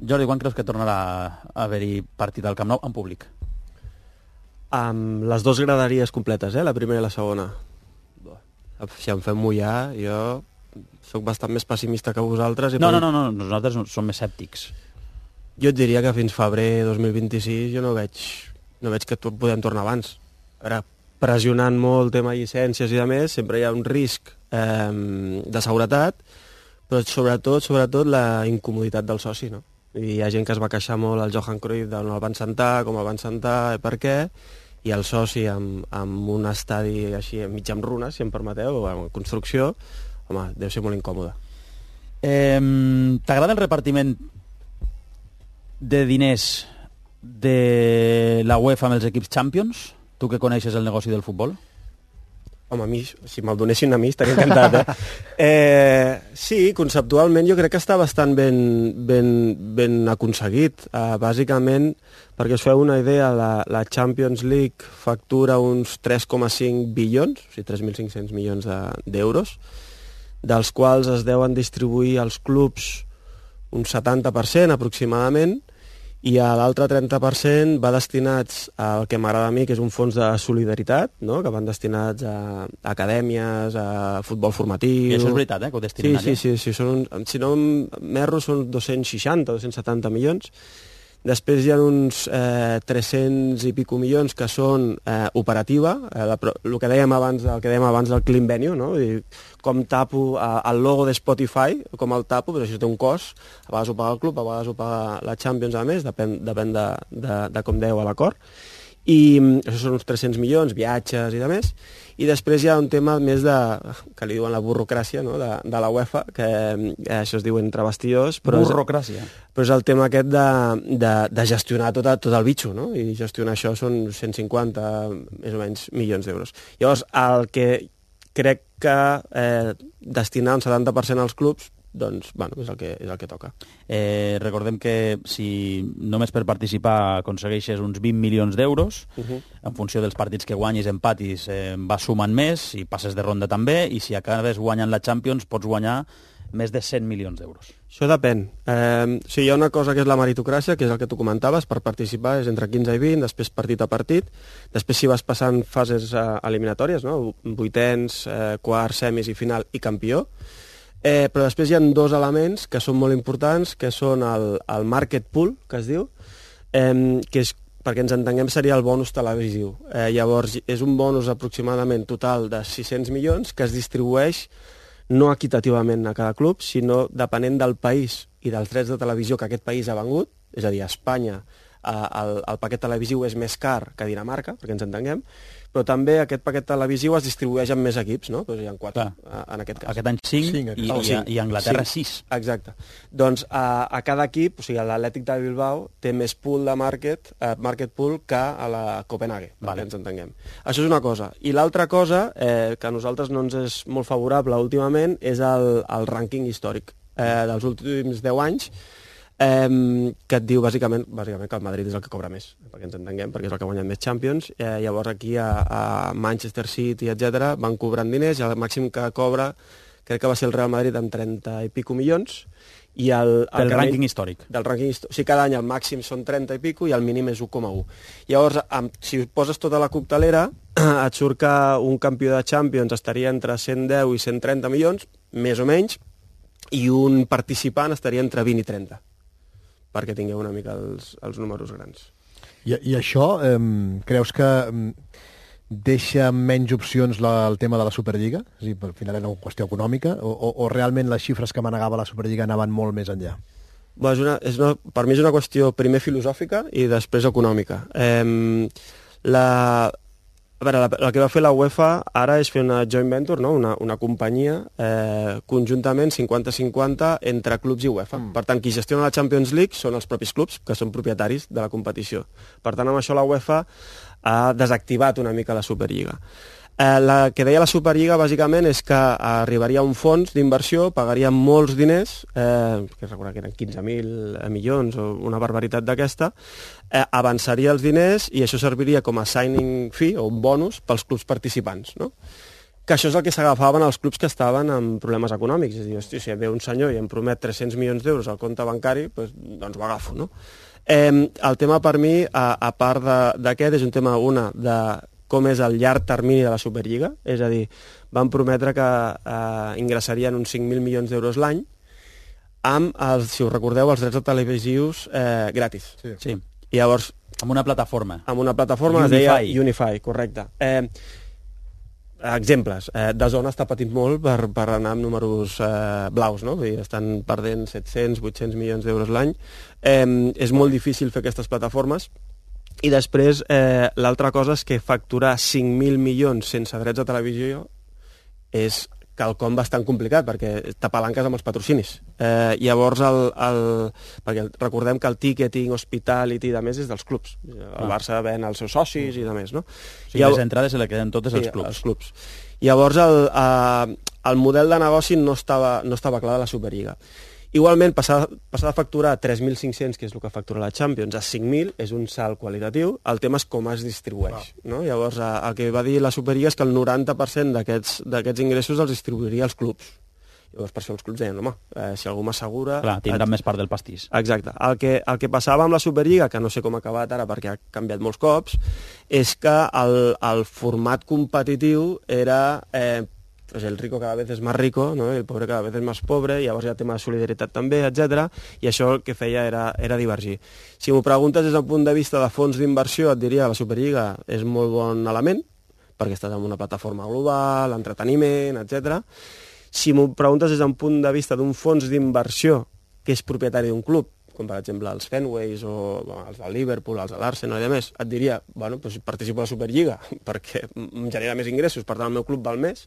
Jordi, quan creus que tornarà a haver-hi partit al Camp Nou en públic? Amb les dues graderies completes, la primera i la segona. Si em fem mullar, jo sóc bastant més pessimista que vosaltres. No, nosaltres som més escèptics. Jo et diria que fins febrer 2026 jo no veig que podem tornar abans. Ara, pressionant molt el tema llicències i de més, sempre hi ha un risc de seguretat, però sobretot la incomoditat del soci, no? I hi ha gent que es va queixar molt al Johan Cruyff d'on el van sentar, com el van sentar, per què, i el soci amb un estadi així mig en runes, si em permeteu, o en construcció, home, deu ser molt incòmode. T'agrada el repartiment de diners de la UEFA amb els equips Champions? Tu que coneixes el negoci del futbol? Home, a mi, si me'l donessin a mi, estaria encantat, Sí, conceptualment jo crec que està bastant ben aconseguit. Bàsicament, perquè us feu una idea, la Champions League factura uns 3,5 bilions, o sigui, 3.500 milions d'euros, dels quals es deuen distribuir als clubs un 70% aproximadament, i l'altre 30% va destinats al que m'agrada a mi, que és un fons de solidaritat, no? Que van destinats a acadèmies, a futbol formatiu... I això és veritat, que ho destinen allà? Sí, si no m'erro són 260, 270 milions. Després hi ha uns 300 i pico milions que són operativa, el que dèiem abans del Clean Venue, no? Com tapo el logo de Spotify, com el tapo, però això té un cost, a vegades ho paga el club, a vegades ho paga la Champions, a més, depèn de com dèieu a l'acord, i això són uns 300 milions, viatges i de més, i després hi ha un tema més que li diuen la burocràcia, no? de la UEFA, que això es diu entre bastidors, però burocràcia. Però és el tema aquest de gestionar tot el bitxo, no? I gestionar això són 150, més o menys, milions d'euros. Llavors, el que crec que destinar un 70% als clubs, doncs, bueno, és el que toca. Recordem que si només per participar aconsegueixes uns 20 milions d'euros, en funció dels partits que guanyis, empatis, vas sumant més, i passes de ronda també, i si acabes guanyant la Champions pots guanyar més de 100 milions d'euros. Això depèn. Hi ha una cosa que és la meritocràcia, que és el que tu comentaves, per participar és entre 15 i 20, després partit a partit, després si vas passant fases eliminatòries, no? Vuitens, quarts, semis i final i campió, però després hi ha dos elements que són molt importants, que són el market pool, que es diu, que és, perquè ens entenguem, seria el bonus televisiu. Llavors, és un bonus aproximadament total de 600 milions que es distribueix no equitativament a cada club, sinó depenent del país i dels drets de televisió que aquest país ha vengut, és a dir, a Espanya el paquet televisiu és més car que a Dinamarca, perquè ens entenguem, però també aquest paquet televisiu es distribueix en més equips, no? Doncs hi ha 4, en aquest cas. Aquest any 5 i Anglaterra 6. Exacte. Doncs a cada equip, o sigui, l'Atlètic de Bilbao té més pool de market pool que a la Copenhague, perquè ens entenguem. Això és una cosa. I l'altra cosa, que a nosaltres no ens és molt favorable últimament, és el rànquing històric dels últims 10 anys, que et diu bàsicament que el Madrid és el que cobra més, perquè ens entenguem, perquè és el que ha guanyat més Champions. Llavors aquí a Manchester City, etc., van cobrant diners, i el màxim que cobra crec que va ser el Real Madrid amb 30 i pico milions, i del rànquing històric. O sigui, cada any el màxim són 30 i pico i el mínim és 1,1. Llavors, si poses tota la coctelera, et surt que un campió de Champions estaria entre 110 i 130 milions, més o menys, i un participant estaria entre 20 i 30, perquè tingueu una mica els números grans. I això, creus que deixa menys opcions el tema de la Superliga? És a dir, al final era una qüestió econòmica, o realment les xifres que manegava la Superliga anaven molt més enllà? Per mi és una qüestió primer filosòfica i després econòmica. El que va fer la UEFA ara és fer una joint venture, no? una companyia conjuntament 50-50 entre clubs i UEFA. Per tant, qui gestiona la Champions League són els propis clubs, que són propietaris de la competició. Per tant, amb això la UEFA ha desactivat una mica la Superliga. El que deia la Superliga, bàsicament, és que arribaria un fons d'inversió, pagaria molts diners, que recordar que eren 15.000 milions o una barbaritat d'aquesta, avançaria els diners i això serviria com a signing fee o un bonus pels clubs participants, no? que això és el que s'agafaven els clubs que estaven amb problemes econòmics. És a dir, hosti, si ve un senyor i em promet 300 milions d'euros al compte bancari, doncs ho agafo, no? El tema per mi, a part d'aquest, és un tema, de com és el llarg termini de la Superliga, és a dir, van prometre que ingressarien uns 5.000 milions d'euros l'any amb, si us recordeu, els drets televisius gratis. Sí. I llavors... Amb una plataforma. Amb una plataforma que es deia Unify, correcte. Exemples. DAZN està patint molt per anar amb números blaus, no? Vull dir, estan perdent 700, 800 milions d'euros l'any. És molt difícil fer aquestes plataformes. I després, l'altra cosa és que facturar 5.000 milions sense drets de televisió és quelcom bastant complicat, perquè t'apalanques amb els patrocinis. Llavors, perquè recordem que el ticketing, hospitality i de més és dels clubs. El Barça ven els seus socis i de més, no? O sigui, les entrades se les queden totes als clubs. Els clubs. Llavors, el model de negoci no estava clar de la Superliga. Igualment, passar de facturar 3.500, que és el que factura la Champions, a 5.000 és un salt qualitatiu. El tema és com es distribueix. No? Llavors, el que va dir la Superliga és que el 90% d'aquests ingressos els distribuiria als clubs. Llavors, per això els clubs deien, home, si algú m'assegura... Clar, tindran més part del pastís. Exacte. El que passava amb la Superliga, que no sé com ha acabat ara perquè ha canviat molts cops, és que el format competitiu era... pues el rico cada vez es más rico, ¿no? El pobre cada vez es más pobre, i llavors hi ha tema de solidaritat també, etc. I això el que feia era divergir. Si m'ho preguntes des del punt de vista de fons d'inversió, et diria que la Superliga és molt bon element, perquè estàs en una plataforma global, entreteniment, etc. Si m'ho preguntes des del punt de vista d'un fons d'inversió que és propietari d'un club, com per exemple els Fenways o els del Liverpool, els de l'Arsenal i de més, et diria, bueno, doncs participo a la Superliga perquè em genera més ingressos, per tant el meu club val més.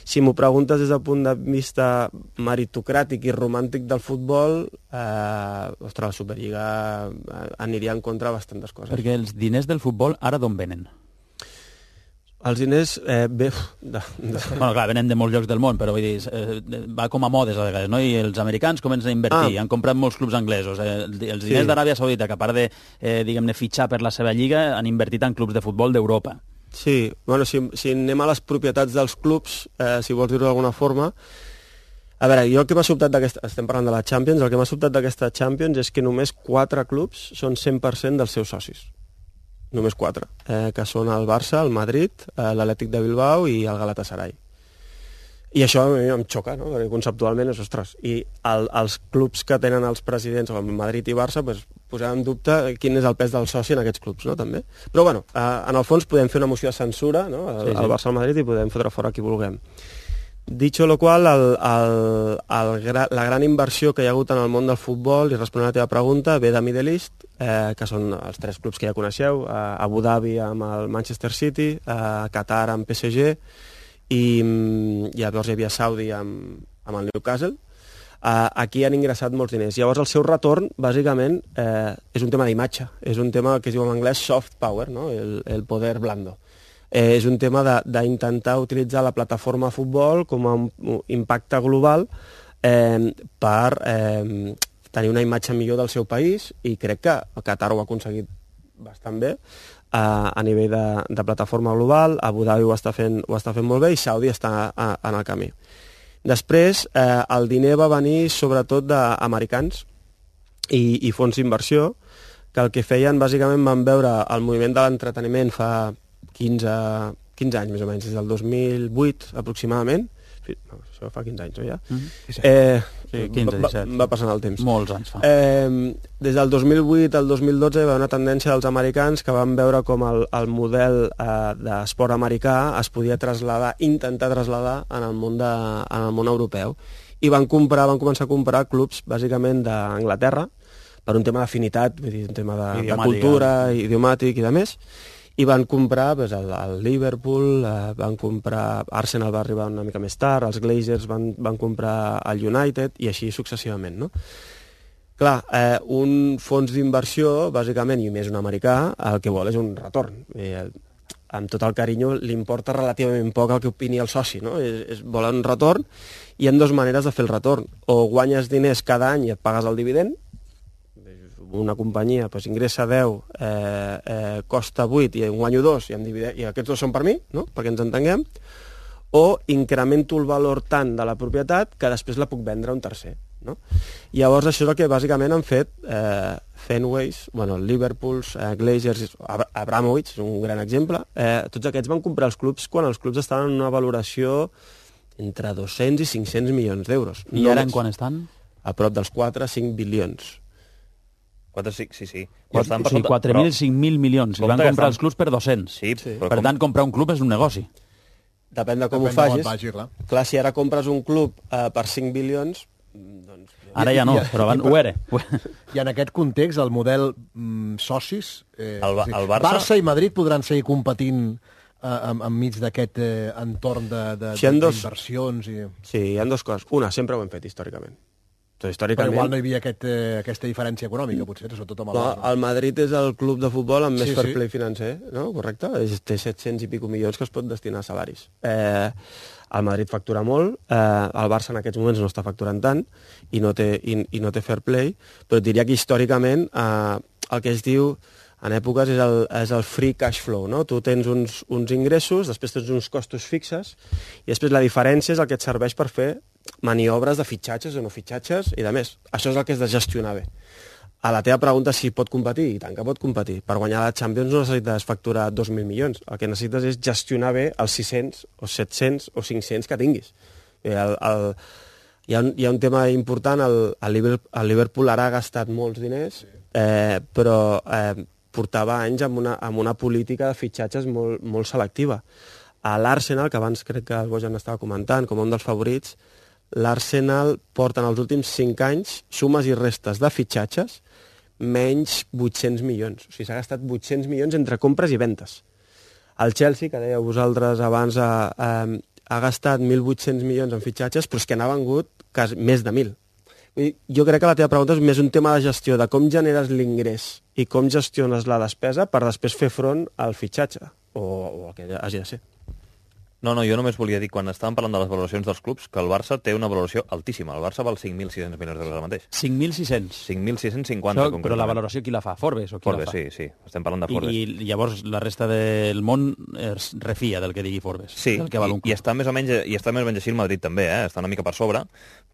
Si m'ho preguntes des del punt de vista meritocràtic i romàntic del futbol, ostres, la Superliga aniria en contra de bastantes coses. Perquè els diners del futbol ara d'on venen? Els diners, Bueno, clar, venen de molts llocs del món, però vull dir, va com a modes a vegades, no? I els americans comencen a invertir, han comprat molts clubs anglesos. Els diners d'Aràbia Saudita, que a part de, diguem-ne, fitxar per la seva lliga, han invertit en clubs de futbol d'Europa. Sí, bueno, si anem a les propietats dels clubs, si vols dir-ho d'alguna forma, a veure, jo el que m'ha sobtat estem parlant de la Champions, el que m'ha sobtat d'aquesta Champions és que només 4 clubs són 100% dels seus socis. Només 4, que són el Barça, el Madrid, l'Atlètic de Bilbao i el Galatasaray. I això a mi em xoca, no? Perquè conceptualment és, ostres, i els clubs que tenen els presidents, el Madrid i Barça, pues, posar en dubte quin és el pes del soci en aquests clubs, no? També. Però, bueno, en el fons podem fer una moció de censura, no? Al Barça al Madrid, i podem fotre fora qui vulguem. Dicho lo qual, la gran inversió que hi ha hagut en el món del futbol, i responent a la teva pregunta, ve de Middle East, que són els 3 clubs que ja coneixeu, Abu Dhabi amb el Manchester City, Qatar amb PSG, i llavors hi havia Saudi amb el Newcastle. Aquí han ingressat molts diners. Llavors el seu retorn, bàsicament, és un tema d'imatge, és un tema que es diu en anglès soft power, no? El poder blando. És un tema d'intentar utilitzar la plataforma de futbol com a un impacte global per tenir una imatge millor del seu país, i crec que el Qatar ho ha aconseguit bastant bé a nivell de plataforma global. Abu Dhabi ho està fent molt bé i Saudi està en el camí. Després, el diner va venir sobretot d'americans i fons d'inversió, que el que feien, bàsicament, van veure el moviment de l'entreteniment fa 15 anys, més o menys, des del 2008 aproximadament. No, això fa 15 anys, no, ja? Sí, 15, 17. Va passant el temps. Molts anys fa. Des del 2008 al 2012 hi va haver una tendència dels americans que van veure com el model d'esport americà es podia intentar traslladar en el món europeu. I van començar a comprar clubs, bàsicament, d'Anglaterra, per un tema d'afinitat, vull dir, un tema de cultura, idiomàtic i de més. I van comprar el Liverpool, van comprar... Arsenal va arribar una mica més tard, els Glazers van comprar el United, i així successivament, no? Clar, un fons d'inversió, bàsicament, i més un americà, el que vol és un retorn. Amb tot el carinyo, li importa relativament poc el que opini el soci, no? Vol un retorn, i hi ha 2 maneres de fer el retorn. O guanyes diners cada any i et pagues el dividend, una companyia ingressa 10, costa 8 i en guanyo 2 i aquests 2 són per mi, no? Perquè ens entenguem, o incremento el valor tant de la propietat que després la puc vendre a un tercer. No? Llavors això és el que bàsicament han fet Fenways, Liverpools, Glazers, Abramovich, un gran exemple. Tots aquests van comprar els clubs quan els clubs estaven en una valoració entre 200 i 500 milions d'euros. I ara en quan estan? A prop dels 4-5 bilions. 4-5, sí. Sí, 4.000 i 5.000 milions. I van comprar els clubs per 200. Sí, per tant, comprar un club és un negoci. Depèn de com ho facis. Clar, si ara compres un club per 5 bilions... Doncs... Ara ja no, però abans ho era. I en aquest context, el model socis... El Barça i Madrid podran seguir competint enmig d'aquest entorn d'inversions? Sí, hi ha dues coses. Una, sempre ho hem fet històricament. Però igual no hi havia aquesta diferència econòmica, potser, sobretot amb el Barça. El Madrid és el club de futbol amb més fair play financer, no? Correcte? Té 700 i pico milions que es pot destinar a salaris. El Madrid factura molt, el Barça en aquests moments no està facturant tant i no té fair play, però diria que històricament el que es diu en èpoques és el free cash flow, no? Tu tens uns ingressos, després tens uns costos fixes i després la diferència és el que et serveix per fer maniobres de fitxatges o no fitxatges i de més. Això és el que has de gestionar bé. A la teva pregunta si pot competir, i tant que pot competir. Per guanyar la Champions no necessites facturar 2.000 milions. El que necessites és gestionar bé els 600 o 700 o 500 que tinguis. Hi ha un tema important, el Liverpool ara ha gastat molts diners, però portava anys amb una política de fitxatges molt selectiva. A l'Arsenal, que abans crec que el Bojan estava comentant, com un dels favorits, l'Arsenal porta en els últims 5 anys sumes i restes de fitxatges menys 800 milions. O sigui, s'ha gastat 800 milions entre compres i ventes. El Chelsea, que dèieu vosaltres abans, ha gastat 1.800 milions en fitxatges, però és que n'ha vengut més de 1.000. Jo crec que la teva pregunta és més un tema de gestió, de com generes l'ingrés i com gestiones la despesa per després fer front al fitxatge, o el que hagi de ser. No, jo només volia dir, quan estàvem parlant de les valoracions dels clubs, que el Barça té una valoració altíssima. El Barça val 5.600 milions d'euros ara mateix. 5.600? 5.650. Però la valoració qui la fa? Forbes o qui Forbes, la fa? sí. Estem parlant de Forbes. I llavors la resta del món es refia del que digui Forbes. Sí, del que val un club. i està més o menys així el Madrid també, està una mica per sobre,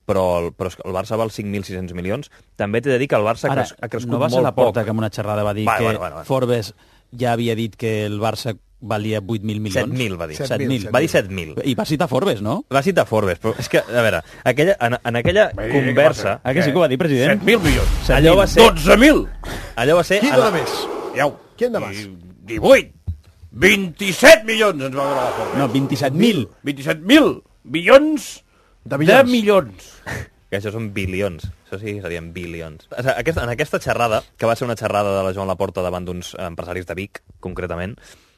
però el Barça val 5.600 milions. També t'he de dir que el Barça ha crescut molt poc. No va ser la Porta que en una xerrada va dir que Forbes ja havia dit que el Barça valia 8.000 milions. 7.000 va dir. 7.000. Va dir 7.000. I va citar Forbes, no? Va citar Forbes, però és que, a veure, en aquella conversa... Que sí que ho va dir, president? 7.000 milions. Allò va ser... 12.000! Allò va ser... Qui dona més? Qui en més? 18! 27 milions ens va donar la Forbes. No, 27.000. 27.000 milions de milions. Que això són bilions. Això sí que serien bilions. En aquesta xerrada, que va ser una xerrada de la Joan Laporta davant d'uns empresaris de Vic, concretament,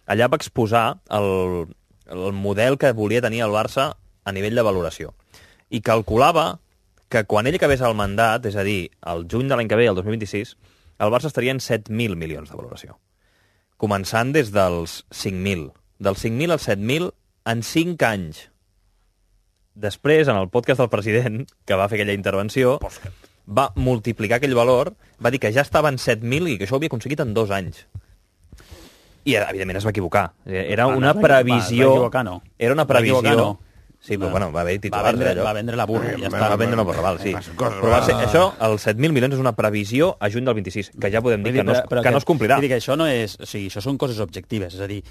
allà va exposar el model que volia tenir el Barça a nivell de valoració. I calculava que quan ell acabés el mandat, és a dir, el juny de l'any que ve, el 2026, el Barça estaria en 7.000 milions de valoració. Començant des dels 5.000. Dels 5.000 als 7.000 en 5 anys. Després, en el podcast del president, que va fer aquella intervenció, va multiplicar aquell valor, va dir que ja estava en 7.000 i que això ho havia aconseguit en 2 anys. I, evidentment, es va equivocar. Era una previsió... Va equivocar, no. Era una previsió... No. Sí, però bueno, va haver titulars allò. Va vendre la burra, ja està. Va vendre una burra, val, sí. Però va ser, això, els 7.000 milions, és una previsió a juny del 26, que ja podem dir que no es complirà. Vull dir que això no és... O sigui, això són coses objectives. És a dir,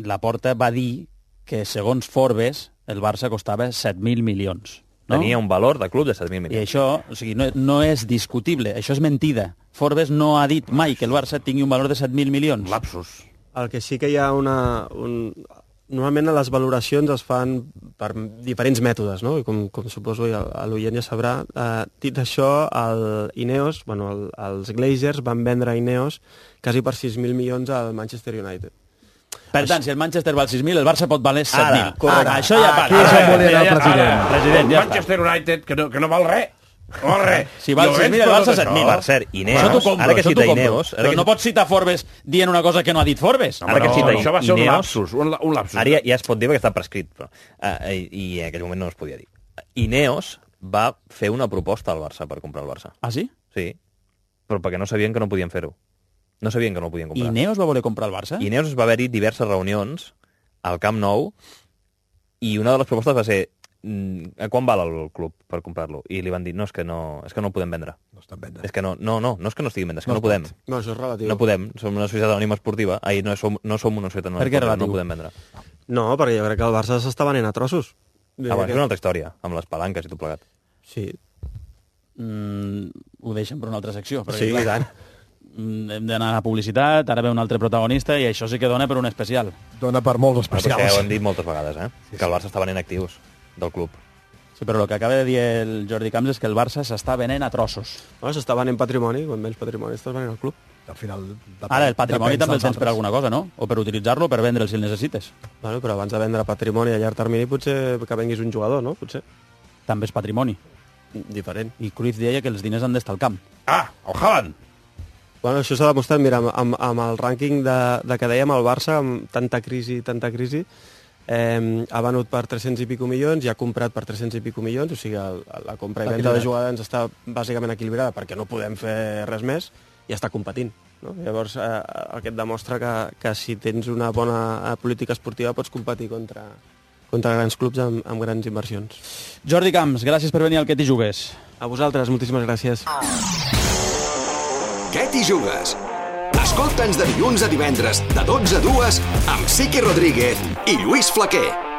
Laporta va dir que, segons Forbes, el Barça costava 7.000 milions. No? Tenia un valor de club de 7.000 milions. I això, o sigui, no és discutible, això és mentida. Forbes no ha dit mai que el Barça tingui un valor de 7.000 milions. Lapsus. El que sí que hi ha normalment les valoracions es fan per diferents mètodes, no? I com suposo l'oient ja sabrà. Dit això, Ineos, els Glazers van vendre Ineos quasi per 6.000 milions al Manchester United. Per tant, si el Manchester val 6.000, el Barça pot valer 7.000. Ara, això ja aquí és on volia anar el president. President, ja Manchester United, que no val res. No val res. Si val 6.000, el Barça 7.000. Per cert, Ineos, ara que cita Ineos... Però no pots citar Forbes dient una cosa que no ha dit Forbes. Ara que cita això va ser un lapsus. Ara ja es pot dir perquè està prescrit, però, i en aquell moment no es podia dir. Ineos va fer una proposta al Barça per comprar el Barça. Ah, sí? Sí, però perquè no sabien que no podien fer-ho. No sabien que no ho podien comprar. Ineos va voler comprar el Barça? Ineos va haver-hi diverses reunions al Camp Nou I una de les propostes va ser quan val el club per comprar-lo? I li van dir, no, és que no el podem vendre. No està en venda. És que no és que no estigui en venda, és que no podem. No, això és relatiu. No podem, som una societat anònima esportiva, no som una societat anònima esportiva, no podem vendre. No, perquè jo crec que el Barça s'està venent a trossos. Abans és una altra història, amb les palanques i tot plegat. Sí. Ho deixem per una altra secció. Perquè, Sí, i tant. Hem d'anar a publicitat, ara ve un altre protagonista i això sí que dona per un especial. Dona per molts Però és que especials. ho hem dit moltes vegades, que el Barça està venent actius del club. Sí, però el que acaba de dir el Jordi Camps és que el Barça s'està venent a trossos. Bueno, s'està venent patrimoni, quan vens patrimoni estàs venent el club. Al final, Ara, el patrimoni també el dels tens per altres. alguna cosa, no? O per utilitzar-lo, per vendre'l si el necessites. Bueno, però abans de vendre patrimoni a llarg termini potser que venguis un jugador, no? Potser. També és patrimoni. Diferent. I Cruyff deia que els diners han d'estar al camp. Ah, el Haaland. Bueno, això s'ha demostrat, mira, amb el rànquing de que dèiem el Barça, amb tanta crisi, ha venut per 300 i pico milions i ha comprat per 300 i pico milions, o sigui, la compra i venda de jugadors està bàsicament equilibrada perquè no podem fer res més i està competint. No? Llavors, el que et demostra que si tens una bona política esportiva pots competir contra grans clubs amb grans inversions. Jordi Camps, gràcies per venir al Que t'hi jugues. A vosaltres, moltíssimes gràcies. Què t'hi jugues? Escolta'ns de dilluns a divendres, de 12 a 2, amb Siqui Rodríguez i Lluís Flaquer.